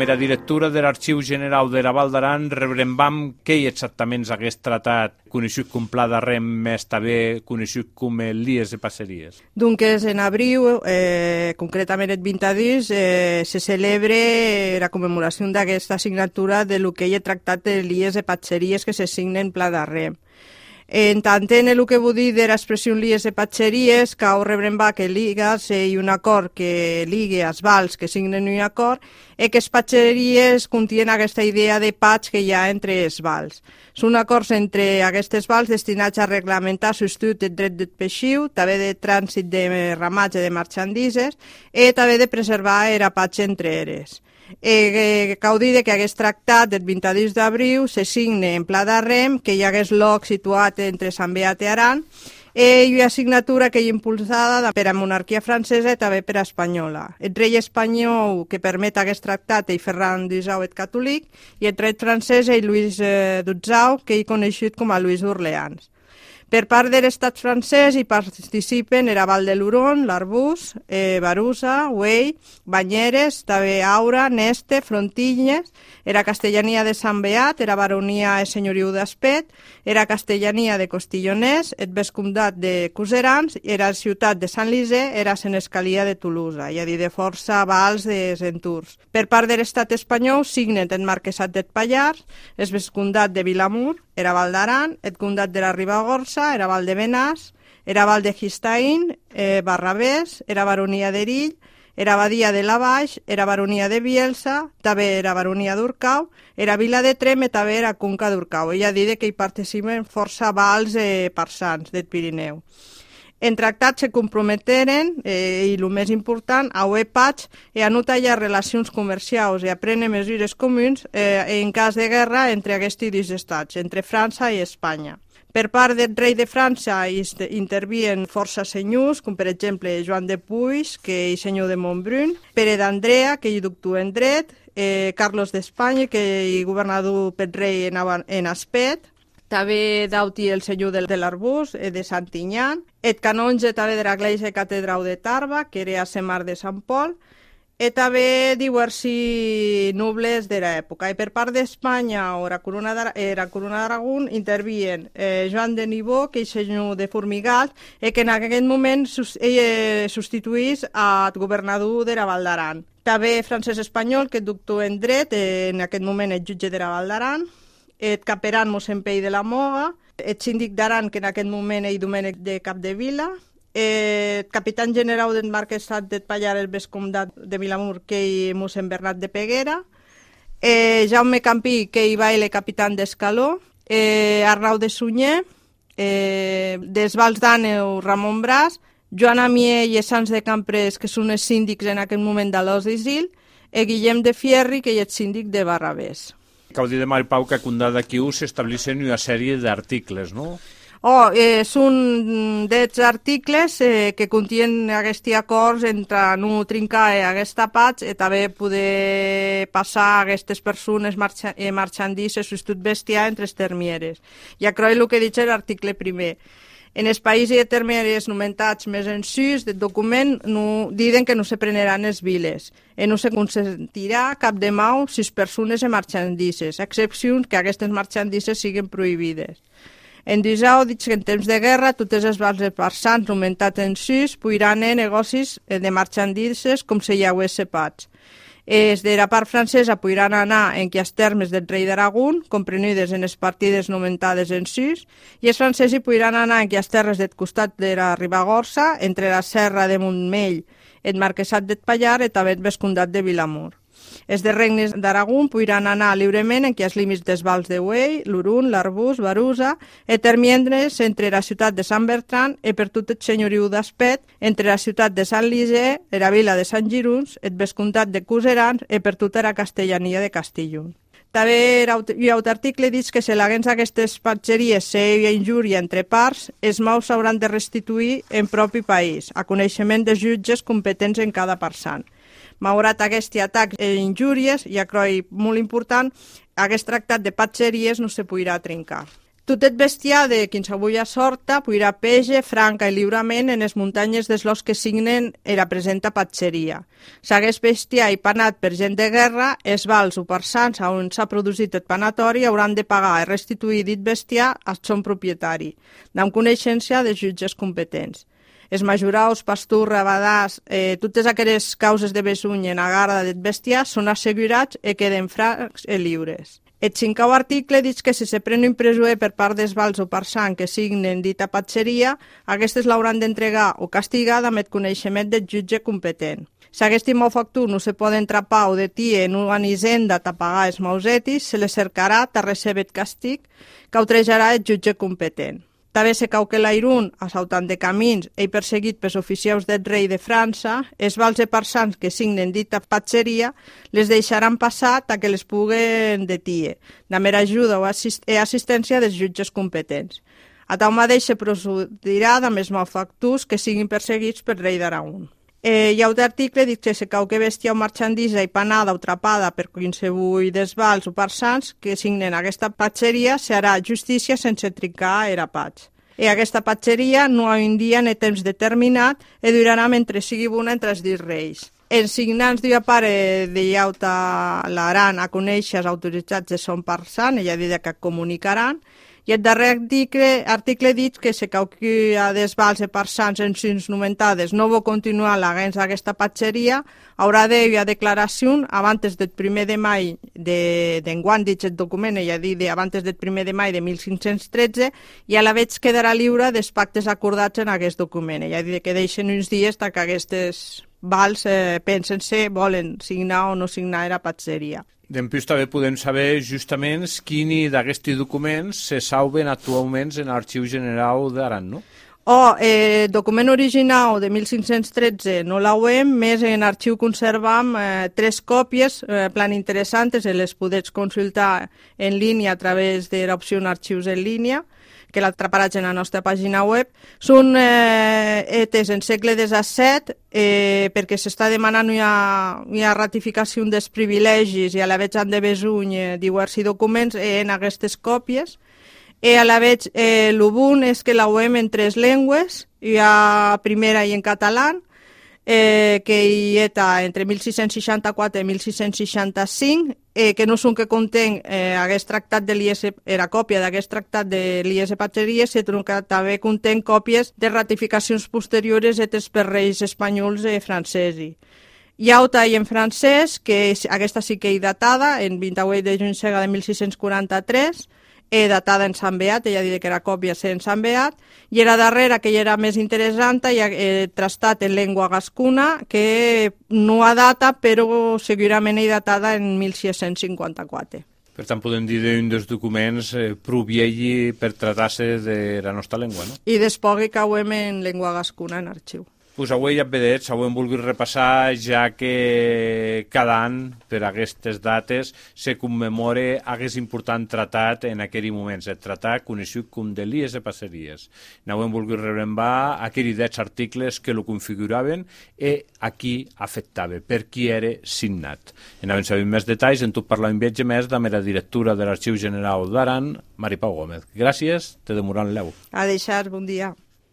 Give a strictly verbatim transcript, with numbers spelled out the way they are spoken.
com era directora de l'Arxiu General de la Val d'Aran, rebrembam què exactament és aquest tratat, conegut com Pla d'Arrem, més també conegut com Lies de Passeries. Doncs en abril, eh, concretament el vint dos, eh, se celebra la commemoració d'aquesta signatura de lo que hi ha tractat de Lies de Passeries que se signa en Pla d'Arrem. En tant, en el que vull dir de l'expressió lies de patxeries, que ho rebrem va que liga, si hi ha un acord que ligue els vals que signen un acord, i que les patxeries contenen aquesta idea de patx que hi ha entre els vals. Són acords entre aquestes vals destinats a reglamentar l'ús del dret del peixiu, també de trànsit de ramatge de marxandises i també de preservar el patx entre eres. Eh, cal dir que aquest tractat del vint dos d'abril se signa en Pla d'Arrem, que hi hagués lloc situat entre Sant Beat i Aran, i hi ha signatura que hi ha impulsada per la monarquia francesa i també per a espanyola. El rei espanyol que permet aquest tractat és Ferran disau el catòlic i el rei francès és Lluís dotzau, que hi coneixut com a Lluís d'Orleans. Per part de l'estat francès hi participen era Val de l'Huron, l'Arbús, eh, Barusa, Güell, Banyeres, també Aura, Neste, Frontilles, era castellania de Sant Beat, era baronia i senyoriu d'Aspet, era castellania de Costilloners, el vescomtat de Cuserans, era ciutat de Sant Lisè, era senescalia de Tolosa, i a dir de força vals de Centurs. Per part de l'estat espanyol signen el marquesat del Pallars, el vescomtat de Vilamur, era Val d'Aran, el comtat de la Ribagorça, era Val de Benàs, era Val de Gistaín, eh, Barravés, era baronia d'Erill, era Badia de la Baix, era baronia de Bielsa, també era baronia d'Urcau, era Vila de Trem i també era Conca d'Urcau. Ella dit que hi participen força vals eh, parsans del Pirineu. En tractats se comprometeren, eh, i el més important, a haver patx i a no tallar relacions comercials i a prendre mesures comuns eh, en cas de guerra entre aquests dos estats, entre França i Espanya. Per part del rei de França intervien força senyors, com per exemple Joan de Puig, que és senyor de Montbrun, Pere d'Andrea, que hi doctor en dret, eh, Carlos d'Espanya, que hi governador pel rei en, en Aspet, també Dauti, el senyor de l'Arbús, de Santinyan, el canonge també de l'Església Catedral de Tarba, que era a Semar de Sant Pol, i també diversos nobles de l'època. I per part d'Espanya o la corona d'Aragó intervien eh, Joan de Nibó, que és senyor de Formigal, i que en aquest moment eh, substituís al governador de la Val d'Aran. També Francesc Espanyol, que és doctor en dret, eh, en aquest moment és jutge de la Val d'Aran, el caperan mossèn Pei de la Moga, el síndic d'Aran, que en aquest moment és Domènec de Capdevila, el capitán general del marquesat del Pallar, el vescomtat de Vilamur, que és mossèn Bernat de Peguera, eh, Jaume Campí, que hi va el capitán d'Escaló, eh, Arnau de Sunyer, eh, dels Vals d'Àneu, Ramon Bràs, Joan Amier i Sants de Camprés, que són els síndics en aquest moment de l'Os d'Isil, i Guillem de Fierri, que és síndic de Barravés. Cal dir de Mari Pau que a Condada d'aquí s'estableixen una sèrie d'articles, no? Oh, eh, són dels articles eh, que contenen aquests acords entre no trincar aquesta patx i també poder passar a aquestes persones marxa, eh, marxandisses o tot bestiar entre les termieres. Ja crec el que he dit l'article primer. En els països i termieres nomentats més en sus del document no, diuen que no se preneran els viles i no se consentirà cap de mau si les persones i marxandisses, a excepció que aquestes marxandisses siguin prohibides. En disau, dic que en temps de guerra totes les vals de parsans nomentats en sus podran fer negocis de marxandisses com si hi hagués sepats. Els de la part francesa podran anar en els termes del rei d'Aragón, comprenides en les partides nomentades en sus, i els francesos podran anar en les terres del costat de la Ribagorça, entre la serra de Montmell, el marquesat del Pallar i també el vescomtat de Vilamur. Els de regnes d'Aragón podran anar lliurement en els límits dels vals de Güell, l'Huron, l'Arbús, Barusa, i termiendre's entre la ciutat de Sant Bertran i per tot el senyoriu d'Aspet, entre la ciutat de Sant Lisè, la vila de Sant Giruns, el vescomtat de Cuserans i per tota la castellania de Castillon. També hi ha un article que diu que si l'haguens aquestes patxeries hi ha injúria entre parts, els maus s'hauran de restituir en propi país, a coneixement de jutges competents en cada parsant. Malgrat aquest atac i injúries, ja crec molt important, aquest tractat de patxeries no se podrà trencar. Tot el bestiar de quinsevulla sorta puirà pege, franca i lliurament en les muntanyes dels los que signen era presenta patxeria. S'hagués bestiar i panat per gent de guerra, els vals o parsans on s'ha produït el panatori hauran de pagar i restituir dit bestiar al son propietari, amb coneixença dels jutges competents. Els majuraus, pasturs, rabadars, eh, totes aquelles causes de besuny en agarda del bestiar són assegurats i queden francs i lliures. El cinquè article diu que si se pren un presoer per part dels vals o parsans que signen dita patxeria, aquestes l'hauran d'entregar o castigar amb el coneixement del jutge competent. Si aquest malfactor no se poden trapar o detir en una hisenda a pagar els mausetis, se les cercarà a recebre el castig que autrejarà el jutge competent. També se cau que l'airun, assaltant de camins i perseguit pels oficials del rei de França, els vals i parsans que signen dita patxeria les deixaran passar ta que les puguen detir, de mera ajuda o assist i assistència dels jutges competents. A tal mateix se procedirà amb els malfactors que siguin perseguits pel rei d'Aragon. Eh, hi ha un article dic que se cau que bèstia o marxandisa i panada o trapada per quinsevull dels vals o parsans que signen aquesta patxeria serà justícia sense trincar era patx. I aquesta patxeria no ha un dia ni temps determinat i durarà mentre sigui bona entre els dits reis. Els signants d'una pare de llauta l'aran a conèixer els autoritzats de son parsan, ella dirà que comunicaran, i el darrer article, article dit que se cau que a des vals i parsans en sins nomentades no vol continuar l'agens d'aquesta patxeria, haurà d'haver a declaració abans del primer de maig d'enguany, dit el document, ella dit abans del primer de maig de mil cinc-cents tretze, i a la vegada quedarà lliure dels pactes acordats en aquest document. Ella dit que deixen uns dies que aquestes vals eh, pensen si volen signar o no signar la patxeria. Dempués també podem saber justament quins d'aquests documents se salven actualment en l'Arxiu General d'Aran, no? Oh, el eh, document original de mil cinc-cents tretze no l'auem, més en arxiu conservam eh, tres còpies, eh, plan interessantes, i les podets consultar en línia a través de l'opció Arxius en línia, que la traparàs en la nostra pàgina web. Són eh, etes en segle disset eh, perquè s'està demanant una, una ratificació dels privilegis i a la vegada han de besuny eh, diversos documents eh, en aquestes còpies. I a la vegada eh, l'ubun és que la web en tres llengües, hi ha primera i en català, eh, que hi ha entre mil sis-cents seixanta-quatre i mil sis-cents seixanta-cinc, eh, que no són que conten eh, aquest tractat de l'I S, era còpia d'aquest tractat de l'I S Patxeria, sinó que també conten còpies de ratificacions posteriors fetes per reis espanyols i francesos. Hi ha altra en francès, que aquesta sí que hi datada, en vint-i-vuit de juny de mil sis-cents quaranta-tres, eh, datada en Sant Beat, ella diria que era còpia en Sant Beat, i era darrera, que ja era més interessant, i eh, trastat en llengua gascuna, que no ha data, però segurament hi datada en mil sis-cents cinquanta-quatre. Per tant, podem dir d'un dels documents eh, prou vieji per tractar-se de la nostra llengua, no? I després que cauem en llengua gascuna en arxiu. Pues avui ja vedets, avui hem volgut repassar, ja que cada any, per aquestes dates, se commemora aquest important tratat en aquell moment, el tratat conegut com de l'I S Patxeries. N'avui hem volgut rebrembar aquells deu articles que lo configuraven i a qui afectava, per qui era signat. En havent sabut més detalls, en tot parlar un viatge més de la directora de l'Arxiu General d'Aran, Mari Pau Gómez. Gràcies, te demoran l'eu. A deixar, bon dia.